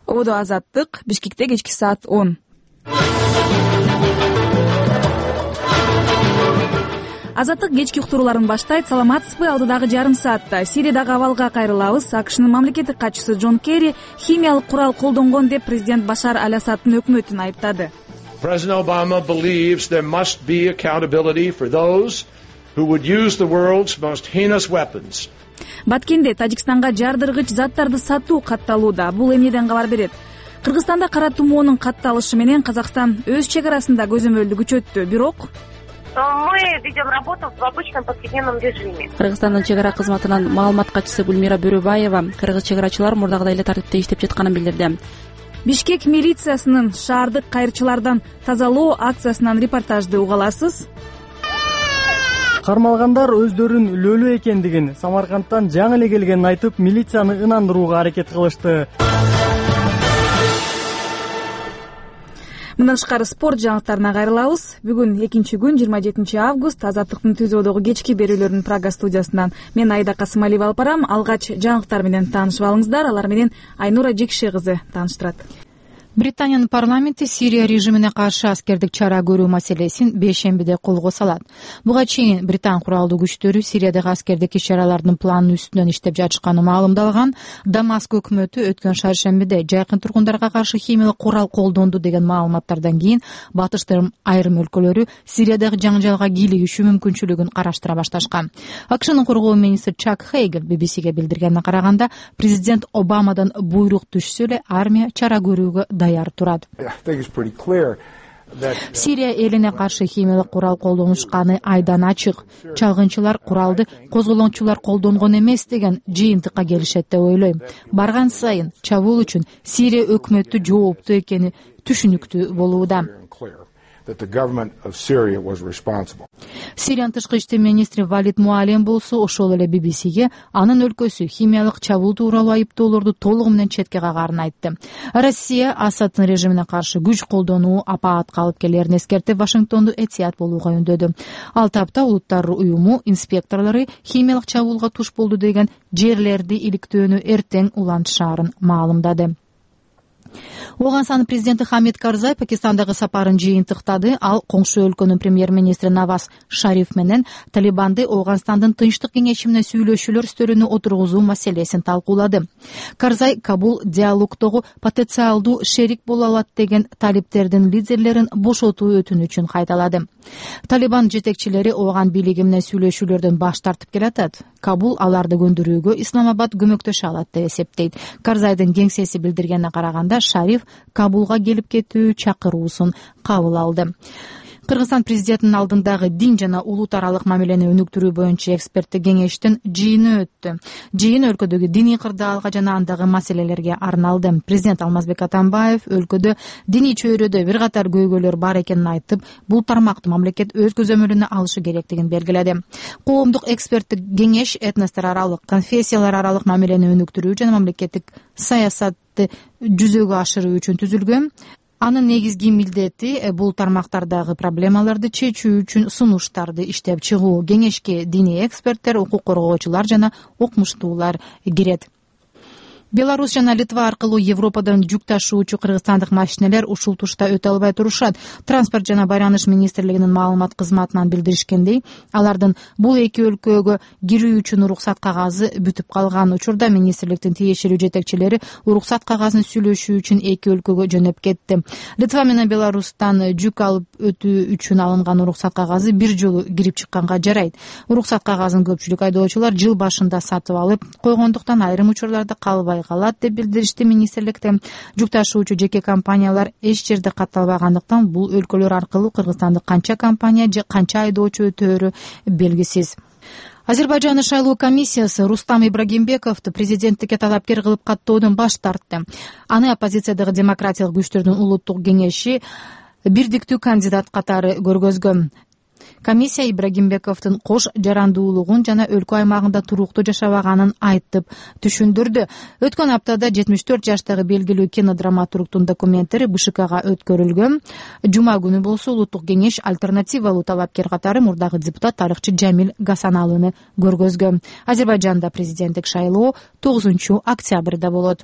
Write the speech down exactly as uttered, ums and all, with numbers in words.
Ободо Азаттык, Бишкекте кечки саат он. Азаттык кечки уктурууларын баштайт. Саламатсызбы? Алдыдагы жарым саатта Сириядагы абалга кайрылабыз. АКШнын мамлекеттик катчысы Джон Керри химиялык курал колдонгон деп президент Башар аль-Асаддын өкмөтүн айыптады. President Obama believes there must be accountability for those who would use the world's most heinous weapons. Баткенде Тажикстанга жардыргыч заттарды сатуу катталууда. Бул эмнеден кабар берет? Кыргызстанда кара тумоонун катталышы менен Казакстан өз чек арасында көзөмөлдү күчөттү. Бирок мы ведем работу в обычном повседневном режиме. Кыргызстандын чек ара кызматынын маалымат катчысы Гүлмира Бөрөбаева кыргыз чек арачылар мурдагыдай эле тартипте иштеп жатканын билдирди. Бишкек милициясынын шаардык кайрчылардан тазалоо акциясынан репортажды уга аласыз. Кармалгандар өздөрүн өлүү экендигин, Самаркандтан жаңы эле келгенин айтып, милицияны ынандырууга аракет кылышты. Мындан тышкары спорт жаңылыктарына кайрылабыз. Бүгүн экинчи күн, жыйырма жетинчи август, Азаттыктын түзөөдөгү кечки берүүлөрүнүн Прага студиясынан мен Айда Касымалиева алып барам. Алгач жаңылыктар менен таанышып алыңыздар. Алар менен Айнура Жекше кызы тааныштырат. Британиянын парламенти Сирия режимине каршы аскердик чара көрүү маселесин бейшембиде колго салат. Буга чейин Британ куралдуу күчтөрү Сириядагы аскердик иш-чаралардын планын үстүнөн иштеп жатышканы маалымдалган. Дамаск өкмөтү өткөн шаршембиде жайкын тургундарга каршы химиялык курал колдонду деген маалыматтардан кийин батыштын айрым өлкөлөрү Сириядагы жаңжалга кийлигишүү мүмкүнчүлүгүн караштыра башташкан. АКШнын коргоо министри Чак Хейгел би би сиге билдиргенине караганда, президент Обамадан буйрук түшсө эле армия чара көрүүгө даяр турат. Сирия элине каршы химиялык курал колдонушканы айдан ачык. Чалгынчылар куралды козголоңчулар колдонгон эмес деген жыйынтыкка келишет деп ойлойм. Барган сайын чабуул үчүн Сирия өкмөтү жооптуу экени түшүнүктүү болууда. Сириянын тышкы иштер министри Валид Муалем болсо ошол эле би би сиге анын өлкөсү химиялык чабуул тууралуу айыптоолорду толугу менен четке кагарын айтты. Россия Асаддын режимине каршы күч колдонуу апаатка алып келерин эскертип, Вашингтонду этият болууга үндөдү. Ал тапта Улуттар уюму инспекторлору химиялык чабуулга туш болду деген жерлерди иликтөөнү эртең улантышаарын маалымдады. Оганстандын президенти Хамид Карзай Пакистандагы сапарын жыйынтыктады. Ал коңшу өлкөнүн премьер-министри Наваз Шариф менен Талибанды Оганстандын тынчтык кеңеши менен сүйлөшүүлөр стөлүнө отургузуу маселесин талкуулады. Карзай Кабул диалогдогу потенциалдуу шерик боло алат деген талиптердин лидерлерин бошотуу өтүнүчүн кайталады. Талибан жетекчилери Оган бийлиги менен сүйлөшүүлөрдөн баш тартып келатат. Кабул аларды көндүрүүгө Исламабад көмөктөшө алат деп эсептейт. Карзайдын кеңсеси билдиргенине караганда, Шариф Кабулга келип кетүү чакыруусун кабыл алды. Кыргызстан президентинин алдындагы дин жана улут аралык мамилени өнүктүрүү боюнча эксперттик кеңештин жыйыны өттү. Жыйын өлкөдөгү диний кырдаалга жана андагы маселелерге арналды. Президент Алмазбек Атамбаев өлкөдө диний чөйрөдө бир катар көйгөйлөр бар экенин айтып, бул тармакты мамлекет өз көзөмөлүнө алышы керектигин белгиледи. Коомдук эксперттик кеңеш этностор аралык, конфессиялар аралык мамилени өнүктүрүү жана мамлекеттик саясатты жүзөгө ашыруу үчүн түзүлгөн. Анын негизги милдети бул тармактардагы проблемаларды чечүү үчүн сунуштарды иштеп чыгуу. Кеңешке диний эксперттер, укук коргоочулар жана окумуштуулар кирет. Беларусь жана Литва аркылуу Европадан жүк ташуучу кыргызстандык машинелер ушул тушта өтө албай турушат. Транспорт жана байланыш министрлигинин маалымат кызматынан билдиришкендей, алардын бул эки өлкөгө кирүү үчүн уруксат кагазы бүтүп калган учурда министрликтин тиешелүү жетекчилери уруксат кагазын сүйлөшүү үчүн эки өлкөгө жөнөп кетти. Литва менен Беларустан жүк алып өтүү үчүн алынган уруксат кагазы бир жолу кирип чыкканга жарайт. Уруксат кагазын көпчүлүк айдоочулар жыл башында сатып алып койгондуктан айрым учурларда калбай калат деп билдиришти министрликте. Жүк ташуучу жеке компаниялар эч жерде катталбагандыктан бул өлкөлөр аркылуу Кыргызстандык канча компания же канча айдоочу өтөөрү белгисиз. Азербайжандын шайлоо комиссиясы Рустам Ибрагимбековду президенттикке талапкер кылып каттоодон баш тартты. Аны оппозициядагы демократиялык күчтөрдүн улуттук кеңеши бирдиктүү кандидат катары көргөзгөн. Комиссия Ибрагимбековдун кош жарандуулугун жана өлкө аймагында туруктуу жашабаганын айтып түшүндүрдү. Өткөн аптада жетимиш төрт жаштагы белгилүү кинодраматургдун документтери бэ шэ кага өткөрүлгөн. Жума күнү болсо улуттук кеңеш альтернативалуу талапкер катары мурдагы депутат тарыхчы Жамил Гасаналыны көргөзгөн. Азербайжанда президенттик шайлоо тогузунчу октябрда болот.